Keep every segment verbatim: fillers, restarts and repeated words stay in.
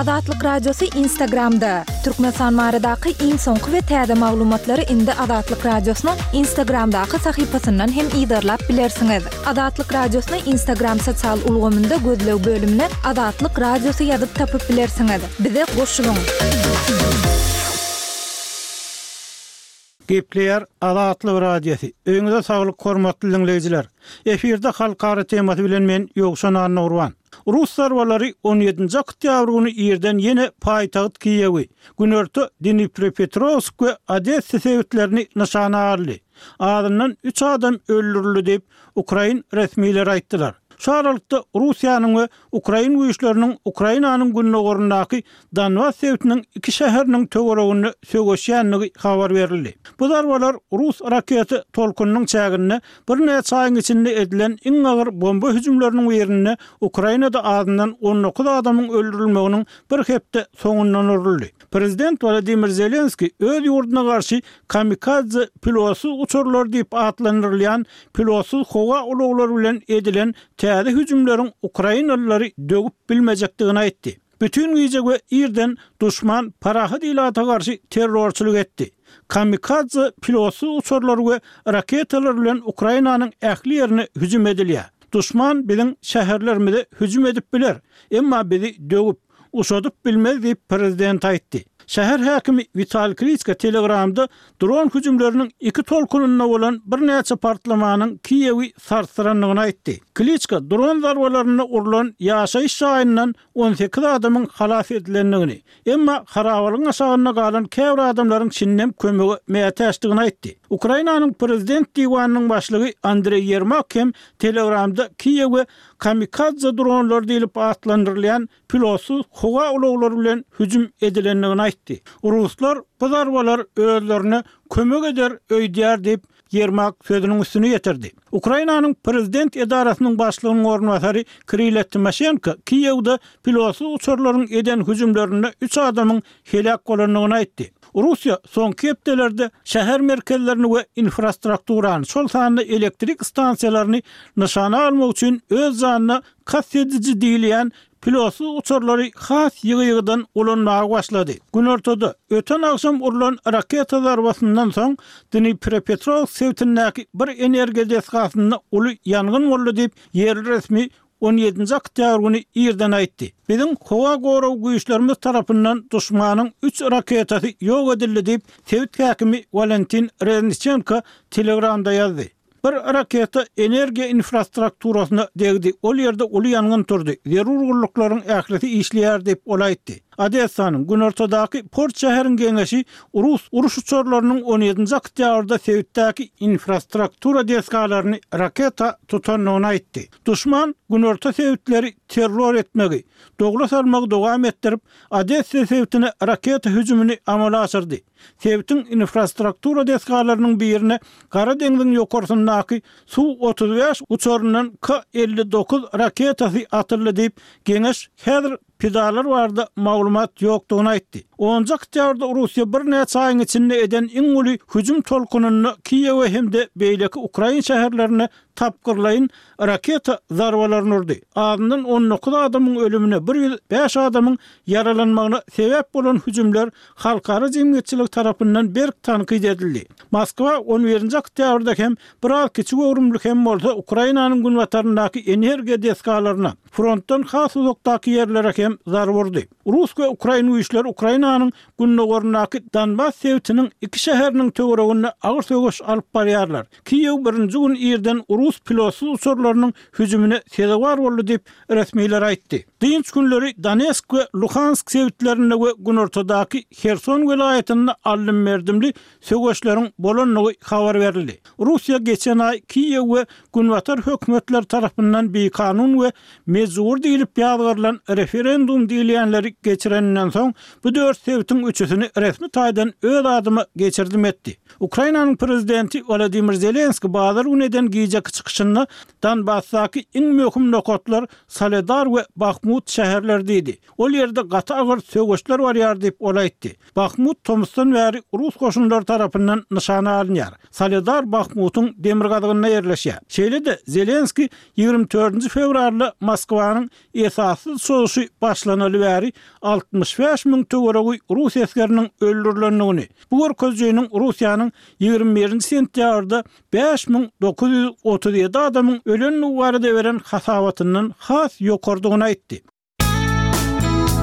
Azatlyk Radiosy Instagramda! Türkmenistan baradaky iň soňky we täze maglumatlary indi Azatlyk Radiosynyň Instagramdaky sahypasyndan hem yzarlap bilersiňiz. Azatlyk Radiosyny Instagram sosial ulgamynda gözleg bölümine Azatlyk Radiosy ýazyp tapyp bilersiňiz. Bize goşulyň! Gepleýär Azatlyk Radiosy. Öýüňize saglyk hormatly diňleýjiler. Efirde halkara temasy bilen men Ýowşan Annagurban. Rus zarbalary on ýedinji oktýabr güni irden ýene paýtagt Kiýewi, günorta Dniprepetrowsk we Odessa sebitlerini nyşana aldy. Azyndan üç adam öldürildi diýip, ukrain resmileri aýtdylar. Şu aralykda, Russiýanyň we ukrain güýçleriniň Ukrainanyň gündogaryndaky Donbas sebitiniň iki şäheriniň töwereginde söweşýändigi habar berildi. Bu zarbalar rus raketa tolkunynyň çäginde birnäçe aýyň içinde edilen iň agyr bomba hüjümleriniň birinde Ukrainada azyndan on dokuz adamyň öldürilmeginiň bir hepde soňundan uruldy. Prezident Wladimir Zelenskiý öz ýurduna garşy kamikadze pilotsyz uçarlar diýip atlandyrylýan pilotsyz howa ulaglary bilen edilen täze hüjümleriň ukrainalylary döwüp bilmejekdigini aýtdy. Bütin gije we irden duşman parahat ilata garşy terrorçylyk etdi. Kamikadze pilotsyz uçarlar we raketalar bilen Ukrainanyň ähli ýerine hüjüm edilýär. Duşman biziň şäherlerimize hüjüm edip biler, emma bizi döwüp, uşadyp bilmez diýip, prezident aýtdy. Şäher häkimi Witaliý Kliçko Telegramda dron hüjümleriniň iki tolkunynda bolan birnäçe partlamanyň Kiýewi sarsdyrandygyny aýtdy. Kliçko dron zarbalarynda urlan ýaşaýyş jaýyndan on sekiz adamyň halas edilendigini, emma harabalygyň aşagynda galan käbir adamlaryň şindem kömege mätäçdigini aýtdy. Ukrainanyň prezident diwanynyň başlygy Andreý Ýermak hem Telegramda Kiýewe kamikadze dronlary diýlip atlandyrylýan pilotsyz howa ulaglary bilen hüjüm edilendigini aýtdy. Ruslar bu zarbalar özlerine kömek eder öýdýär diýip, Ýermak sözüniň üstüni ýetirdi. Ukrainanyň prezident edarasynyň başlygynyň orunbasary Kirille Timoşenko Kiýewde pilotsyz uçarlaryň eden hüjümlerinde üç adamyň heläk bolandygyny aýtdy. Russiýa soňky hepdelerde şäher merkezlerini we infrastrukturany, şol sanda elektrik stansiýalaryny nyşana almak üçin öz janyna kast ediji diýilýän pilotsyz uçarlary has ýygy-ýygydan ulanmaga başlady. Günortada, öten agşam urlan raketa zarbasyndan soň, Dniprepetrowsk sebitindäki bir energiýa desgasynda uly ýangyn boldy diýip, ýerli resmi on ýedinji oktýabr güni irden aýtdy. Biziň howa gorag güýçlerimiz tarapyndan duşmanyň üç raketasy ýok edildi diýip, sebit häkimi Walentin Rezniçenko Telegramda ýazdy. Bir raketa energiýa infrastrukturasyna degdi, ol ýerde uly ýangyn turdy, zerur gulluklaryň ählisi işleýär diýip, ol aýtdy. Odessanyň günortadaky port şäheriň geňeşi rus uruş uçarlarynyň on ýedinji oktýabrda sebitdäki infrastruktura desgalaryny raketa tutandygyny aýtdy. Duşman günorta sebitleri terror etmegi, dogla salmagy dowam etdirip, Odessa sebitine raketa hüjümini amala aşyrdy. Sebitiň infrastruktura desgalarynyň birine Gara deňziň ýokarsyndaky Su otuz bäş uçaryndan K elli dokuz raketasy atyldy diýip, geňeş häzir pidalar barada maglumat ýokdugyny aýtdy. Onunjy oktýabrda Russiýa birnäçe aýyň içinde eden iň uly hüjüm tolkunynda Kiýewe hem-de beýleki ukrain şäherlerine tapgyrlaýyn raketa zarbalaryny urdy. Azyndan on dokuz adamyň ölümine, bir ýüz bäş adamyň ýaralanmagyna sebäp bolan hüjümler halkara jemgyýetçiligi tarapyndan berk tankyt edildi. Moskwa on birinji oktýabrda hem biraz kiçi göwrümli hem bolsa Ukrainanyň günbataryndaky energiýa desgalaryna, frontdan has uzakdaky ýerlere hem zarba urdy. Rus we ukrain güýçleri Ukrainanyň gündogaryndaky Donbas sebitiniň iki şäheriniň töwereginde agyr söweş alyp barýarlar. Kiýew birinji gün irden rus pilotsyz uçarlarynyň hüjümine sezewar boldy diýip, resmiler aýtdy. Dynç günleri Donetsk we Luhansk sebitlerinde we günortadaky Herson welaýatynda aldym-berdimli söweşleriň bolandygy habar berildi. Russiýa geçen aý Kiýew we günbatar hökümetleri tarapyndan bikanun we mejbury diýlip ýazgarylan referendum diýilýänleri geçireninden soň, bu dört sebitiň üçüsini resmi taýdan öz adyma geçirdim etdi. Ukrainanyň prezidenti Wolodymyr Zelenskiý bazar güni eden gijeki Zelenski çykyşynda Donbasdaky iň möhüm nokatlar Soledar we Bahmut şäherleri diýdi. Ol ýerde gaty agyr söweşler barýar diýip, ol aýtdy. Bahmut tomusdan bäri rus goşunlary tarapyndan nyşana alynýar. Soledar Bahmutyň demirgazygynda ýerleşýär. Şeýle-de Zelenski ýigrimi dördünji fewralda Moskwanyň esassyz çozuşy başlanaly bäri altmyş bäş müň töweregi rus esgeriniň öldürilendigini, bu görkezijiniň Russiýanyň ýigrimi birinji sentýabrda bäş müň dokuz ýüz otuz ýedi adamyň ölendigi barada beren hasabatyndan has ýokarydygyny aýtdy.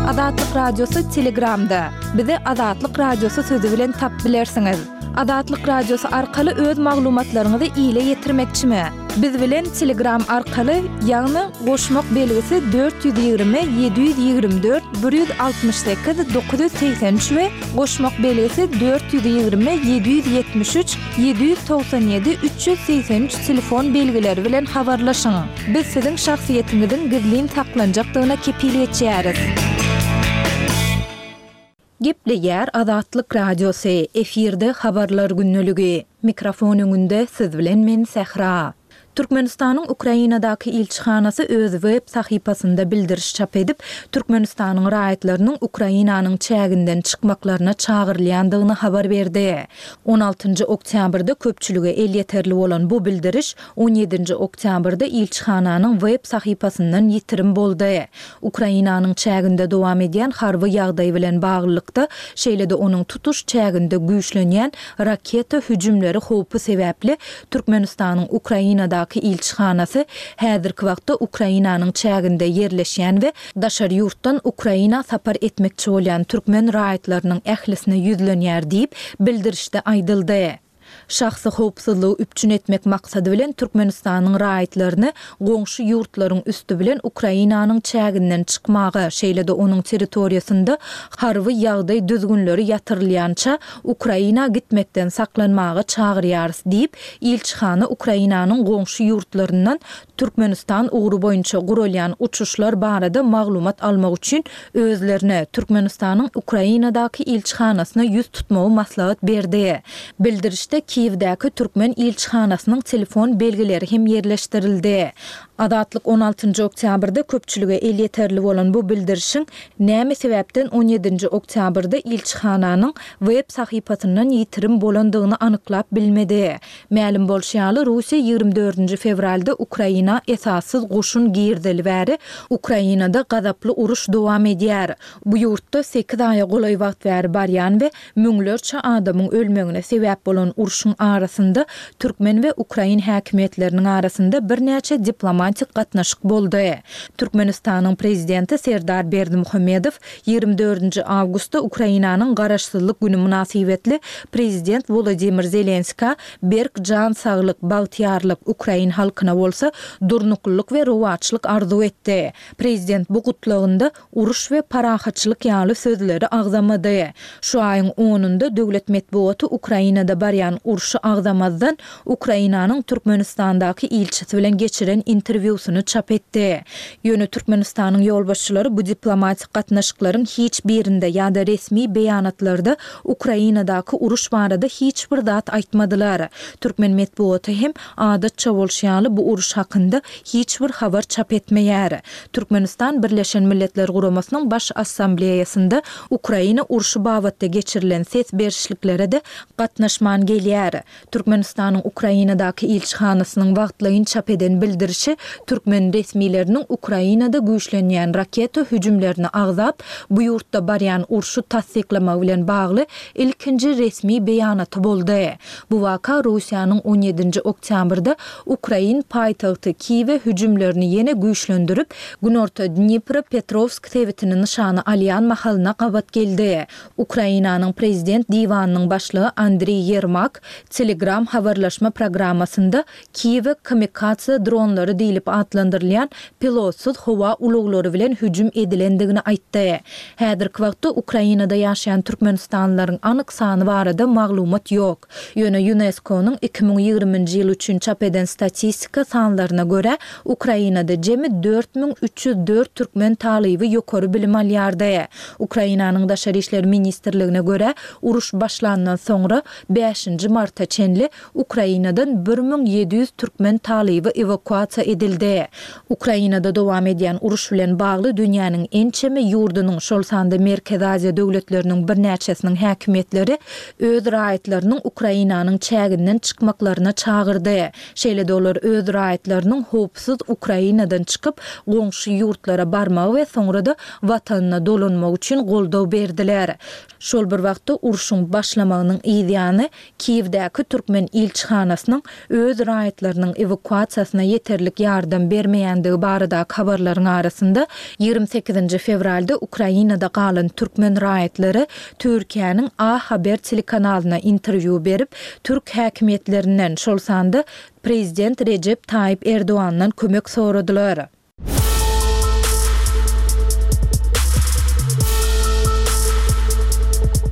Azatlyk Radiosy Telegramda. Bizi Azatlyk Radiosy sözi bilen tap bilersiňiz. Azatlyk Radiosy arkaly öz maglumatlaryňyzy ile ýetirmekçimi? Biz bilen Telegram arkaly, ýagny goşmak belgisi dört ýüz ýigrimi ýedi ýüz ýigrimi dört bir ýüz altmyş sekiz dokuz ýüz segsen üç we goşmak belgisi dört ýüz ýigrimi ýedi ýüz ýetmiş üç ýedi ýüz togsan ýedi üç ýüz segsen üç telefon belgileri bilen habarlaşyň. Biz siziň şahsyýetiňiziň gizlin saklanjakdygyna kepil geçýäris. Gepleýär Azatlyk Radiosy, efirde Habarlar gündeligi. Mikrofon öňünde siz bilen men Sähra. Türkmenistanyň Ukrainadaky ilçihanasy öz web sahypasynda bildiriş çap edip, Türkmenistanyň raýatlarynyň Ukrainanyň çäginden çykmaklaryna çagyrylýandygyny habar berdi. On altynjy oktýabrda köpçülige elýeterli bolan bu bildiriş on ýedinji oktýabrda ilçihananyň web sahypasyndan ýitirim boldy. Ukrainanyň çäginde dowam edýän harby ýagdaý bilen baglylykda, şeýle-de onuň tutuş çäginde güýçlenýän raketa hüjümleri howpy sebäpli Türkmenistanyň Ukrainadaky ilçihanasy häzirki wagtda Ukrainanyň çäginde ýerleşýän we daşary ýurtdan Ukraina sapar etmekçi bolýan türkmen raýatlarynyň ählisine ýüzlenýär diýip, bildirişde aýdyldy. Şahsy howpsuzlygy üpjün etmek maksady bilen Türkmenistanyň raýatlaryny goňşy ýurtlaryň üsti bilen Ukrainanyň çäginden çykmaga, şeýle-de onuň territoriýasynda harby ýagdaý düzgünleri ýatyrylýança Ukraina gitmekden saklanmaga çagyrýarys diýip, ilçihana Ukrainanyň goňşy ýurtlaryndan Türkmenistan ugry boýunça guralýan uçuşlar barada maglumat almak üçin özlerine Türkmenistanyň Ukrainadaky ilçihanasyna ýüz tutmagy maslahat berdi. Bildirişde Kiýewdäki türkmen ilçihanasynyň telefon belgileri hem ýerleşdirildi. Azatlyk on altynjy oktýabrda köpçülige elýeterli bolan bu bildirişiň näme sebäpden on ýedinji oktýabrda ilçihananyň web sahypasyndan ýitirim bolandygyny anyklap bilmedi. Mälim bolşy ýaly, Russiýa ýigrimi dördünji fewralda Ukraina esassyz goşun girizeli bäri Ukrainada gazaply uruş dowam edýär. Bu ýurtda sekiz aýa golaý wagt bäri barýan we müňlerçe adamyň ölmegine sebäp bolan urşuň arasynda türkmen we ukrain häkimiýetleriniň arasynda birnäçe diplomatik gatnaşyk boldy. Türkmenistanyň prezidenti Serdar Berdimuhamedow ýigrimi dördünji awgustda Ukrainanyň garaşsyzlyk güni mynasybetli prezident Wolodymyr Zelenskä berk jan saglyk, bagtyýarlyk, ukrain halkyna bolsa durnuklylyk we rowaçlyk arzuw etdi. Prezident bu gutlagynda uruş we parahatçylyk ýaly sözleri agzamady. Şu aýyň onunda döwlet metbugaty Ukrainada barýan urşy agzamazdan Ukrainanyň Türkmenistandaky ilçisi bilen geçiren interwýusyny çap etdi. Ýöne Türkmenistanyň ýolbaşçylary bu diplomatik gatnaşyklaryň hiç birinde ýa-da resmi beýanatlarda Ukrainadaky uruş barada hiç bir zat aýtmadylar. Türkmen metbugaty hem adatça bolşy ýaly bu uruş hakynda hiç bir habar çap etmeýär. Türkmenistan Birleşen Milletler Guramasynyň Baş Assambleýasynda Ukraina urşy babatda geçirilen ses berişliklere-de gatnaşman gelýär. Türkmenistanyň Ukrainadaky ilçihanasynyň wagtlaýyn çap eden bildirişi türkmen resmileriniň Ukrainada güýçlenýän raketa hüjümlerini agzap, bu ýurtda barýan urşy tassyklamagy bilen bagly ilkinji resmi beýanaty boldy. Bu waka Russiýanyň on ýedinji oktýabrda Ukrain paýtagty Kiýewe hüjümlerini ýene güýçlendirip, Günorta Dnipro-Petrowsk sebitini nyşana alýan mahalyna gabat geldi. Ukrainanyň prezident diwanynyň başlygy Andriý Ýermak Telegram habarlaşma programmasynda Kiýewe kamikadze dronlary diýlip atlandyrylýan pilotsyz howa ulaglary bilen hüjüm edilendigini aýtdy. Häzirki wagtda Ukrainada ýaşaýan türkmenistanlylaryň anyk sany barada maglumat ýok. Ýöne Ýunesko-nyň iki müň ýigriminji ýyl üçin çap eden statistika sanlaryna görä, Ukrainada jemi dört müň üç ýüz dört türkmen talyby ýokary bilim alýardy. Ukrainanyň Daşary işler ministrligine görä, uruş başlandan soňra bäşinji marta çenli Ukrainadan bir müň ýedi ýüz türkmen talyby ewakuasiýa edildi. Ukrainada dowam edýän uruş bilen bagly dünýäniň ençeme ýurdunyň, şol sanda Merkezi Aziýa döwletleriniň birnäçesiniň häkimiýetleri öz raýatlarynyň Ukrainanyň çäginden çykmaklaryna çagyrdy. Şeýle-de olar öz raýatlarynyň howpsuz Ukrainadan çykyp, goňşy ýurtlara barmagy we soňra-da watanyna dolanmagy üçin goldaw berdiler. Şol bir wagtda urşuň başlamagynyň yzýany Kiýewdäki türkmen ilçihanasynyň öz raýatlarynyň ewakuasiýasyna ýeterlik ýardam bermeýändigi baradaky habarlaryň arasynda, ýigrimi sekizinji fewralda Ukrainada galan türkmen raýatlary Türkiýäniň A Haber telekanalyna interwýu berip, türk häkimiýetlerinden, şol sanda prezident Rejep Taýyp Erdogandan kömek soradylar.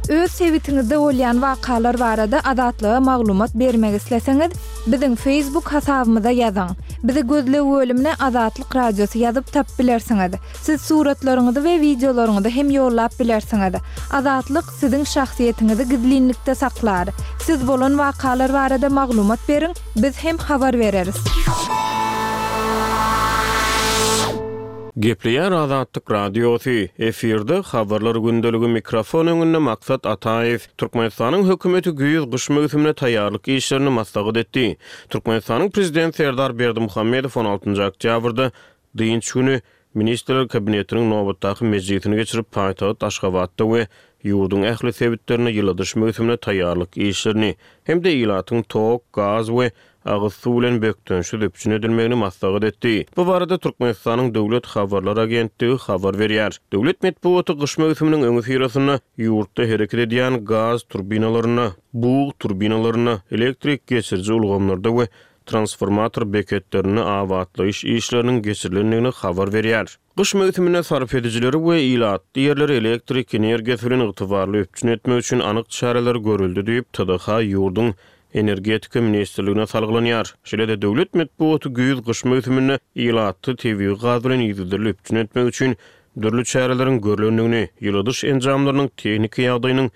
Öz sebitiňizde bolýan wakalar barada Azatlyga maglumat bermek isleseňiz, biziň Facebook hasabymyza ýazyň. Bizi gözleg bölümine Azatlyk Radiosy ýazyp tapyp bilersiňiz. Siz suratlaryňyzy we wideolaryňyzy hem ýollap bilersiňiz. Azatlyk siziň şahsyýetiňizi gizlinlikde saklar. Siz bolan wakalar barada maglumat beriň, biz hem habar bereris. Gepleýär Azatlyk Radiosy, efirde Habarlar gündeligi, mikrofon öňünde Maksat Ataýew. Türkmenistanyň hökümeti güýz-gyş möwsümine taýýarlyk işlerini maslahat etdi. Türkmenistanyň Prezidenti Serdar Berdimuhamedow on altynjy oktýabrda dynç güni Ministrler Kabinetiniň nobatdaky mejlisini geçirip, paýtagt Aşgabatda we ýurduň ähli sebitlerinde ýyladyş möwsümine taýýarlyk işlerini hem-de ilatyň tok, gaz we agyz suw bilen bökdençsiz üpjün edilmegini maslahat etdi. Bu barada Türkmenistanyň Döwlet habarlar agentligi habar berýär. Döwlet metbugaty gyş möwsüminiň öňüsyrasynda ýurtda hereket edýän gaz turbinalarynda, bug turbinalarynda, elektrik geçiriji ulgamlarda we transformator beketlerinde abatlaýyş işleriniň geçirilendigini habar berýär. Gyş möwsüminde sarp edijileri we ilatly ýerleri elektrik energiýasy bilen ygtybarly üpjün etmek üçin anyk çäreler görüldi diýip, T D H ýurduň Energetika ministrligine salgylanýar. Şeýle-de döwlet metbugaty güýz-gyş möwsüminde ilatly tebigy gaz bilen yzygiderli üpjün etmek üçin dürli çäreleriň görülendigini, ýyladyş enjamlarynyň tehniki ýagdaýynyň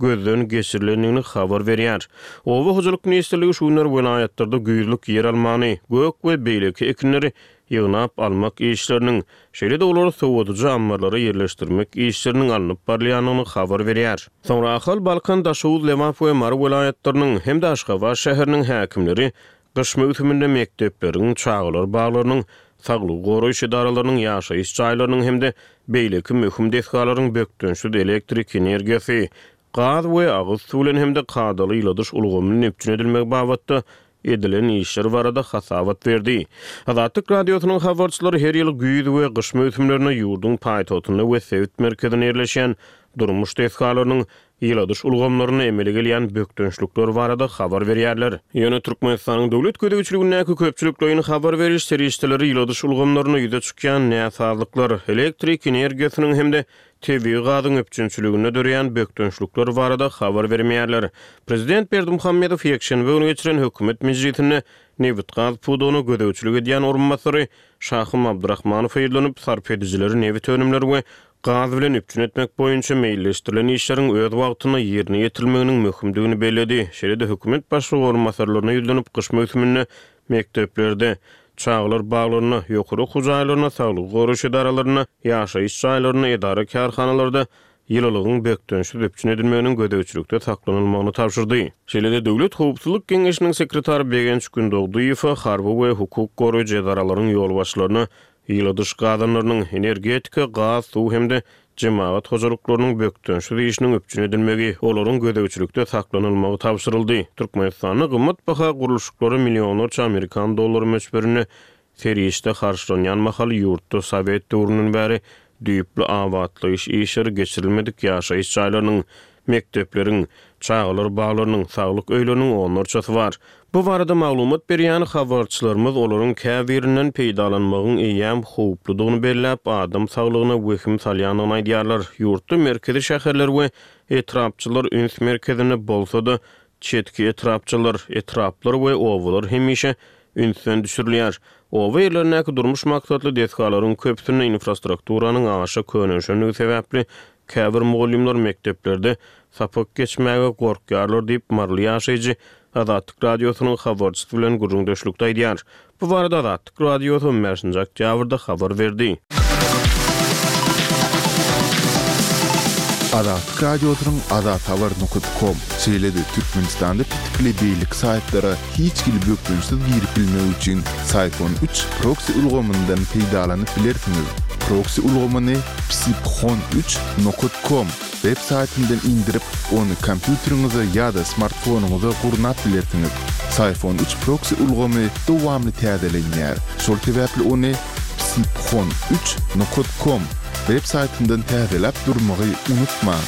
gözden geçirilendigini habar berýär. Oba hojalyk ministrligi şu günler welaýatlarda güýzlük ýer almany, gök we beýleki ekinleri ýygnap almak işleriniň, şeýle-de olary sowadyjy ammarlara ýerleşdirmek işleriniň alnyp barylýandygyny habar berýär. Soňra Ahal, Balkan, Daşoguz, Lebap we Mary welaýatlarynyň hem-de Aşgabat şäheriniň häkimleri gyş möwsüminde mekdepleriň, çagalar baglarynyň, saglygy goraýyş edaralarynyň, ýaşaýyş jaýlarynyň hem-de beýleki möhüm desgalaryň bökdençsiz elektrik energiýasy, gaz we agyz suw bilen hem-de kadaly ýyladyş ulgamynyň üpjün edilmegi babatda edilen işler barada hasabat berdi. Azatlyk Radiosynyň habarçylary her ýyl güýz we gyş möwsümlerinde ýurduň paýtagtynda we sebit merkezinde ýerleşen durmuş desgalarynyň ýyladyş ulgamlaryna emele gelýän bökdençlikler barada habar berýärler. Ýöne Türkmenistanyň döwlet gözegçiligindäki köpçülikleýin habar beriş serişdeleri ýyladyş ulgamlaryna ýüze çykýan näsazlyklar, elektrik energiýasynyň hem-de tebigy gazyň üpjünçiliginde döreýän bökdençlikler barada habar bermeýärler. Prezident Berdimuhamedow ýekşenbe güni geçiren hökümet mejlisinde nebit-gaz pudagyna gözegçilik edýän orunbasary Şahym Abdurahmanow ýüzlenip, sarp edijileri nebit önümleri we gaz bilen üpjün etmek boýunça meýilleşdirilen işleriň öz wagtynda ýerine ýetirilmeginiň möhümdigini belledi. Şeýle-de hökümet başlygy orunbasarlaryna ýüzlenip, gyş möwsüminde mekdeplerde, çagalar baglarynda, ýokary okuw jaýlarynda, saglygy goraýyş edaralarynda, ýaşaýyş jaýlarynda, edara kärhanalarda ýylylygyň bökdençsiz üpjün edilmeginiň gözegçilikde saklanylmagyny tabşyrdy. Şeýle-de Döwlet Howpsuzlyk Geňeşiniň sekretary Begenç Gündogdyýewa harby we hukuk goraýjy edaralaryň ýolbaşçylaryna ýyladyş gazanlarynyň, energetika, gaz, suw hem-de jemagat hojalyklarynyň bökdençsiz işiniň üpjün edilmegi, olaryň gözegçilikde saklanylmagy tabşyryldy. Türkmenistanda gymmat baha gurluşyklary millionlarça Amerikan dollary möçberinde serişde harçlanýan mahaly ýurtda Sowet döwründen bäri düýpli abatlaýyş işleri geçirilmedik ýaşaýyş jaýlarynyň, Mekdepleriň, çagalar baglarynyň, saglyk öýleriniň onlarçasy bar. Bu barada maglumat berýän habarçylarymyz olaryň käbirinden peýdalanmagyň eýýäm howpludygyny belläp, adam saglygyna wehim salýandygyny aýdýarlar. Ýurtda merkezi şäherler we etrapçylar üns merkezinde bolsa-da, çetki etrapçylar, etraplar we obalar hemişe ünsden düşürilýär. Oba ýerlerindäki durmuş maksatly desgalaryň köpüsinde infrastrukturanyň aşa könelişendigi sebäpli käbir mugallymlar mekdeplerde sapak geçmäge gorkýarlar diýip, maryly ýaşaýjy Azatlyk Radiosynyň habarçysy bilen gürrüňdeşlikde aýdýar. Bu barada Azatlyk Radiosy on bäşinji oktýabrda habar berdi. Azatlyk Radiosynyň azathabar nokat kom, şeýle-de Türkmenistanda petikli beýleki saýtlara hiç hili bökdençsiz girip bilmek üçin Syphon üç proksi ulgamyndan peýdalanyp bilersiňiz. Proksi ulgamyny psiphon üç nokat kom web saýtyndan indirip, ony kompýuteriňize ýa-da smartfonyňyza gurnap bilersiňiz. Syphon üç proksi ulgamy dowamly täzelenýär. Şol sebäpli ony psiphon üç nokat kom web saýtyndan täzeläp durmagy unutmaň.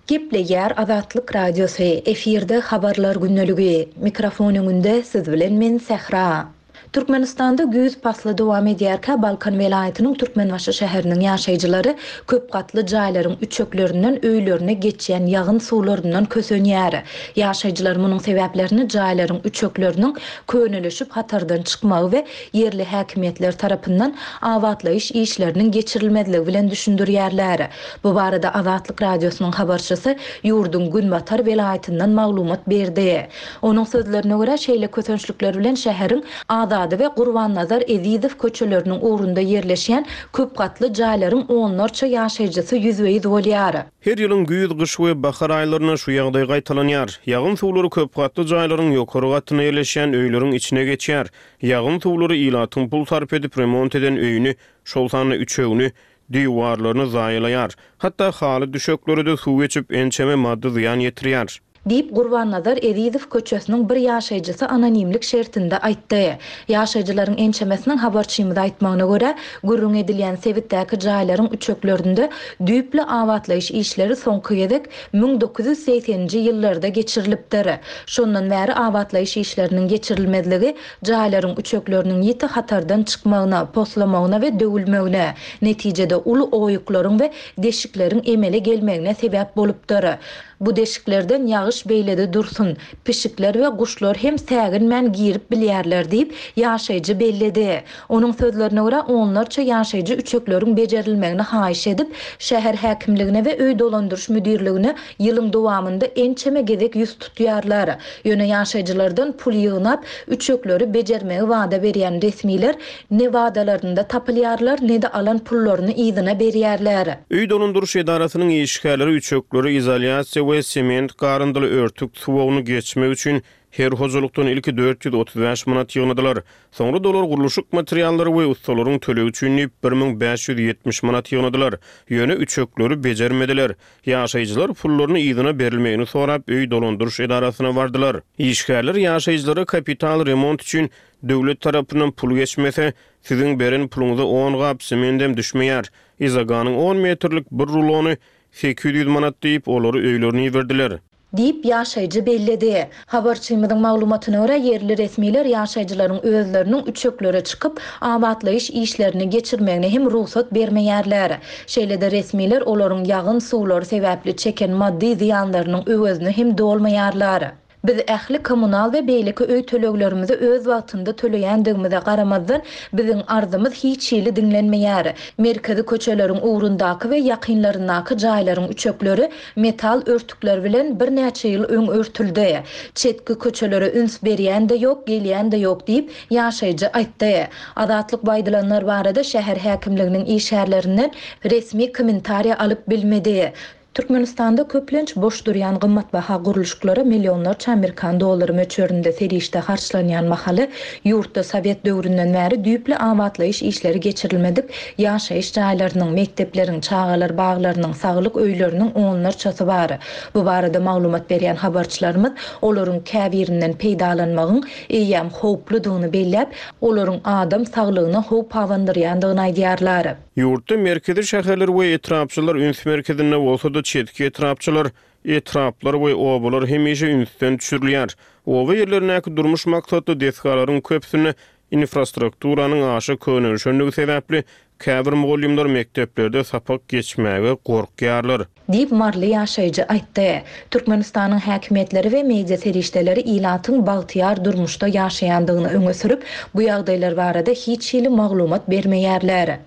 Gepleýär Azatlyk Radiosy, efirde habarlar gündeligi. Mikrofon öňünde siz bilen men Sähra. Türkmenistanda güýz pasly dowam edýärkä Balkan welaýatynyň Türkmenbaşy şäheriniň ýaşaýjylary köp gatly jaýlaryň üçeklerinden öýlerine geçýän ýagyn suwlaryndan kösenýär. Ýaşaýjylar munuň sebäplerini jaýlaryň üçekleriniň könelişip hatardan çykmagy we ýerli häkimiýetler tarapyndan abatlaýyş işleriniň geçirilmezligi bilen düşündirýärler. Bu barada Azatlyk Radiosynyň habarçysy ýurduň Günbatar welaýatyndan maglumat berdi. Onuň sözlerine görä şeýle kösençlikler bilen şäheriň Azady we Gurbannazar Ezizow köçeleriniň ugrunda ýerleşýän köp gatly jaýlaryň onlarça ýaşaýjysy ýüzbe-ýüz bolýar. Her ýylyň güýz, gyş we bahar aýlarynda şu ýagdaý gaýtalanýar. Ýagyn suwlary köp gatly jaýlaryň ýokary gatynda ýerleşýän öýleriň içine geçýär. Ýagyn suwlary ilatyň pul sarp edip remont eden öýüni, şol sanda üçegini, diwarlaryny zaýalaýar. Hatda haly düşekleri-de suw geçip ençeme maddy zyýan ýetirýär. Diýip Gurbannazar Ezizow köçesiniň bir ýaşaýjysy anonimlik şertinde aýtdy. Ýaşaýjylaryň ençemesiniň habarçymyza aýtmagyna görä, gürrüň edilýän sebitdäki jaýlaryň üçeklerinde düýpli abatlaýyş işleri soňky gezek müň dokuz ýüz segseninji ýyllarda geçirilipdir. Şondan bäri abatlaýyş işleriniň geçirilmezligi jaýlaryň üçekleriniň ýiti hatardan çykmagyna, poslamagyna we döwülmegine, netijede uly oýuklaryň we deşikleriň emele gelmegine sebäp bolupdyr. Bu deşiklerden ýagyş beýlede dursun, pişikler we guşlar hem säginmän girip bilýärler diýip, ýaşaýjy belledi. Onuň sözlerine görä onlarça ýaşaýjy üçekleriň bejerilmegini haýyş edip, şäher häkimligine we öý dolandyryş müdirligine ýylyň dowamynda ençeme gezek ýüz tutýarlar. Ýöne ýaşaýjylardan pul ýygnap, üçekleri bejermegi wada berýän resmiler ne wadalarynda tapylýarlar, ne-de alan pullaryny yzyna berýärler. Öý dolandyryş edarasynyň işgärleri üçekleri izolýasiýa we sement garyndyly örtük suwagyny geçmek üçin her hojalykdan ilki dört ýüz otuz bäş manat ýygnadylar. Soňra dolar gurluşyk materiallary we ustalaryň tölegi üçin diýip bir müň bäş ýüz ýetmiş manat ýygnadylar. Ýöne üçekleri bejermediler. Ýaşaýjylar pullaryny yzyna berilmegini sorap öý dolandyryş edarasyna bardylar. Işgärler ýaşaýjylara kapital remont üçin döwlet tarapyndan pul geçmese, siziň beren puluňyza on gap sementem düşmeýär. Izoganyň on metrlik bir rulony sekiz ýüz manat diýip olary öýlerine iberdiler. Diýip ýaşaýjy belledi. Habarçymyzyň maglumatyna görä ýerli resmiler ýaşaýjylaryň özleriniň üçeklere çykyp abatlaýyş işlerini geçirmegine hem rugsat bermeýärler. Şeýle-de resmiler olaryň ýagyn suwlary sebäpli çeken maddy zyýanlarynyň öwezini hem dolmaýarlar. Biz ähli kommunal we beýleki öý töleglerimizi öz wagtynda töleýändigimize garamazdan biziň arzymyz hiç hili diňlenmeýär. Merkezi köçeleriň ugrundaky we ýakynlaryndaky jaýlaryň üçekleri metal örtükler bilen birnäçe ýyl öň örtüldi. Çetki köçelere üns berýän de ýok, gelýän de ýok diýip ýaşaýjy aýtdy. Azatlyk baýdylanlar barada şäher häkimliginiň işgärlerinden resmi kommentariýa alyp bilmedi. Türkmenistanda köplenç boş durýan gymmatbaha gurluşyklara millionlarça amerikan dollary möçberinde serişde harçlanýan mahaly, ýurtda sowet döwründen bäri düýpli abatlaýyş işleri geçirilmedik ýaşaýyş jaýlarynyň, mekdepleriň, çagalar baglarynyň, saglyk öýleriniň onlarçasy bar. Bu barada maglumat berýän habarçylarymyz olaryň käbirinden peýdalanmagyň eýýäm howpludygyny belläp, olaryň adam saglygyna howp abandyrýandygyny aýdýarlar. Ýurtda merkezi şäherler we etrapçalar üns merkezinde bolsa-da, çetki etrapçalar, etraplar we obalar hemişe ünsden düşürilýär. Oba ýerlerindäki durmuş maksatly desgalaryň köpüsinde infrastrukturanyň aşa könelişendigi sebäpli käbir mugallymlar mekdeplerde sapak geçmäge gorkýarlar. Diýip, maryly ýaşaýjy aýtdy. Türkmenistanyň häkimiýetleri we media serişdeleri ilatyň bagtyýar durmuşda ýaşaýandygyny öňe sürüp, bu ýagdaýlar barada hiç hili maglumat bermeýärler.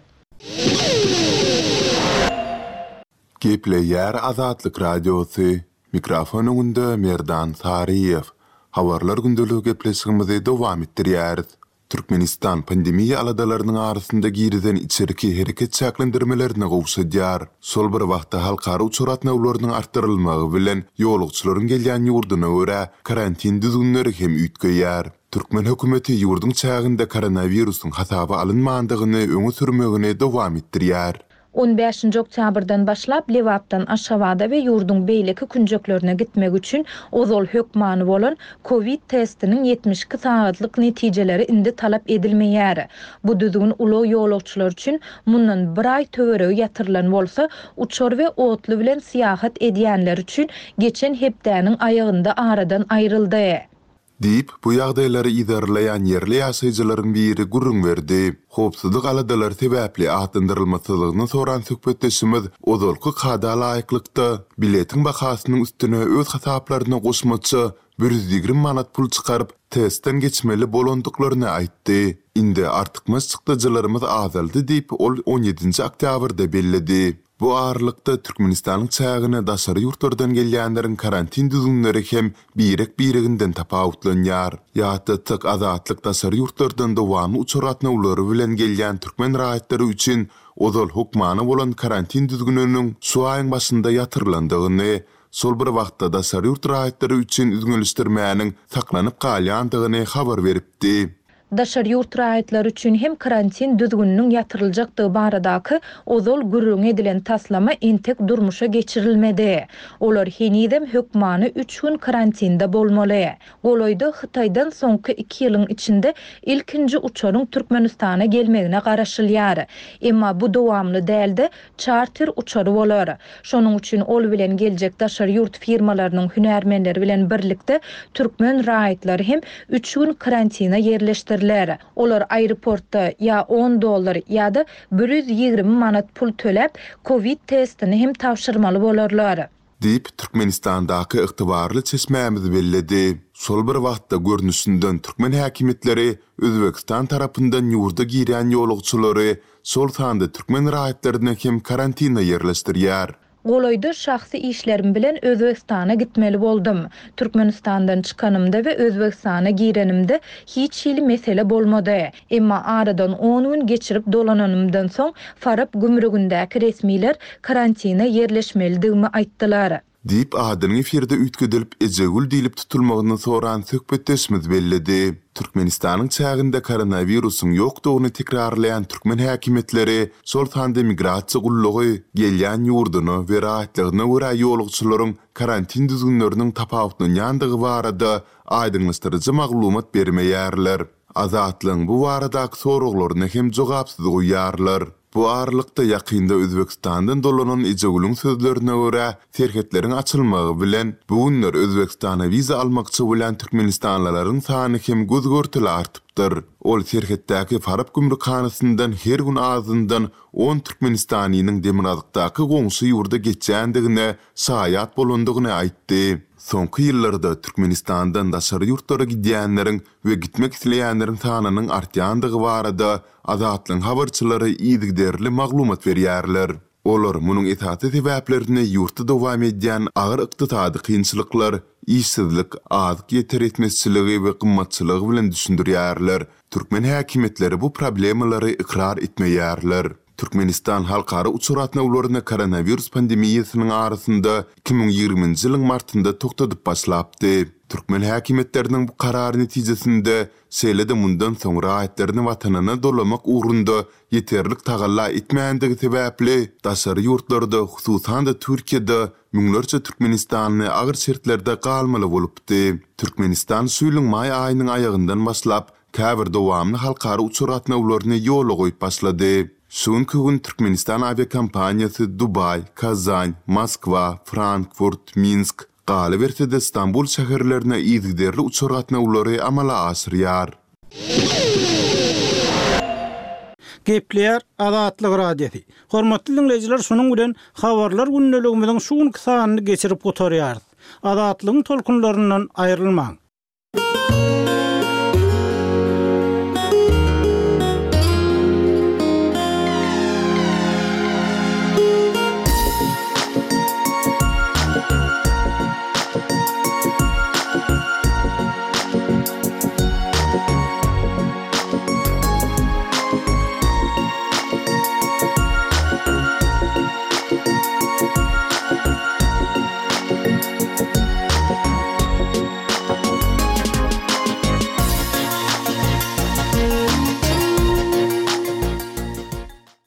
Gepleýär Azatlyk Radiosy, mikrofon öňünde Merdan Saryýew. Habarlar gündeligi gepleşigimizi dowam etdirýäris. Türkmenistan pandemiýa aladalarynyň arasynda girizen içerki hereket çäklendirmelerini gowşadýar. Şol bir wagtda halkara uçar gatnawlarynyň artdyrylmagy bilen ýolagçylaryň gelýän ýurduna görä karantin düzgünleri hem üýtgeýär. Türkmen hökümeti ýurduň çäginde koronawirusyň hasaba alynmandygyny öňe sürmegini dowam etdirýär. On bäşinji oktýabrdan başlap Lebapdan Aşgabada we ýurduň beýleki künjeklerine gitmek üçin ozal hökmany bolan COVID testiniň ýetmiş iki sagatlyk netijeleri indi talap edilmeýär. Bu düzgün ulag ýolagçylar üçin mundan bir aý töweregi ýatyrylan bolsa, uçar we otly bilen syýahat edýänler üçin geçen hepdäniň aýagynda aradan aýryldy. Diýip, bu ýagdaýlary yzarlaýan ýerli ýaşaýjylaryň biri gürrüň berdi. Howpsuzlyk aladalary sebäpli atlandyrylmasyzlygyny soran söhbetdeşimiz ozalky kada laýyklykda biletiň bahasynyň üstüne öz hasaplaryna goşmaça bir ýüz ýigrimi manat pul çykaryp, testden geçmeli bolandyklaryny aýtdy. Indi artykmaç çykdajylarymyz azaldy diýip, ol on ýedinji oktýabrda belledi. Bu aralykda Türkmenistanyň çägine daşary ýurtlardan gelýänleriň karantin düzgünleri hem birek-bireginden tapawutlanýar. Ýatlatsak, Azatlyk daşary ýurtlardan dowamly uçar gatnawlary bilen gelýän türkmen raýatlary üçin ozal hökmany bolan karantin düzgüniniň şu aýyň başynda ýatyrylandygyny, şol bir wagtda daşary ýurt raýatlary üçin üzňelişdirmäniň saklanyp galýandygyny habar beripdi. Daşary ýurt raýatlary üçin hem karantin düzgüniniň ýatyryljakdygy baradaky ozal gürrüň edilen taslama entek durmuşa geçirilmedi. Olar henizem hökmany üç gün karantinde bolmaly. Golaýda Hytaýdan soňky iki ýylyň içinde ilkinji uçaryň Türkmenistana gelmegine garaşylýar. Emma bu dowamly dälde çarter uçary bolar. Şonuň üçin ol bilen geljek daşary ýurt firmalarynyň hünärmenleri bilen birlikde türkmen raýatlary hem üç gün karantina ýerleşdiriler. Olar aeroportda ýa on dollar ýa-da bir ýüz ýigrimi manat pul töläp, COVID testini hem tabşyrmaly bolarlar. Diýip, Türkmenistandaky ygtybarly çeşmämiz belledi. Şol bir wagtda görnüşinden türkmen häkimiýetleri Özbekistan tarapyndan ýurda girýän ýolagçylary, şol sanda türkmen raýatlaryny hem karantina ýerleşdirýär. Golaýda şahsy işlerim bilen Özbekistana gitmeli boldum. Türkmenistandan çykanymda we Özbekistana girenimde hiç hili mesele bolmady. Emma aradan on gün geçirip dolananymdan soň Farap gümrügindäki resmiler karantina ýerleşmelidigimi aýtdylar. Diýip, adynyň efirde üýtgedilip Ejegül diýlip tutulmagyny soran söhbetdeşimiz belledi. Türkmenistanyň çäginde koronawirusyň ýokdugyny tekrarlaýan türkmen häkimiýetleri, şol sanda migrasiýa gullugy, gelýän ýurduna we raýatlygyna görä ýolagçylaryň karantin düzgünleriniň tapawutlanýandygy barada aýdyňlaşdyryjy maglumat bermeýärler. Azatlygyň bu baradaky soraglaryny hem jogapsyz goýýarlar. Bu aralykda ýakynda Özbekistandan dolanan Ejegülüň sözlerine görä, serhetleriň açylmagy bilen bu günler Özbekistana wiza almakçy bolan türkmenistanlylaryň sany hem göz görteli artypdyr. Ol serhetdäki Farap gümrükhanasyndan her gün azyndan on türkmenistanynyň demirgazykdaky goňşy ýurda geçýändigine şaýat bolandygyny aýtdy. Soňky ýyllarda Türkmenistandan daşary ýurtlara gidýänleriň we gitmek isleýänleriň sanynyň artýandygy barada Azatlygyň habarçylary yzygiderli maglumat berýärler. Olar munuň esasy sebäplerini ýurtda dowam edýän agyr ykdysady kynçylyklar, işsizlik, azyk ýeter etmezçiligi we gymmatçylygy bilen düşündirýärler. Türkmen häkimiýetleri bu problemalary ykrar etmeýärler. Türkmenistan halkara uçar gatnawlaryny koronawirus pandemiýasynyň arasynda iki müň ýigriminji ýylyň martynda togtadyp başlapdy. Türkmen häkimiýetleriniň bu karary netijesinde, şeýle-de mundan soň raýatlaryny watanyna dolamak ugrunda ýeterlik tagalla etmändigi sebäpli, daşary ýurtlarda, hususan-da Türkiýede müňlerçe türkmenistanly agyr şertlerde galmaly bolupdy. Türkmenistan şu ýylyň maý aýynyň aýagyndan başlap, käbir dowamly halkara uçar gatnawlaryny ýola goýup başlady. Şu günki gün Türkmenistan awiakompaniýasy Dubaý, Kazan, Moskwa, Frankfurt, Minsk, galyberse-de Stambul şäherlerine yzygiderli uçar gatnawlary amala aşyrýar. Gepleýär Azatlyk Radiosy. Hormatly diňleýjiler, şunuň bilen Habarlar gündeligimiziň şu günki sanyny geçirip gutarýarys. Azatlygyň tolkunlaryndan aýrylmaň!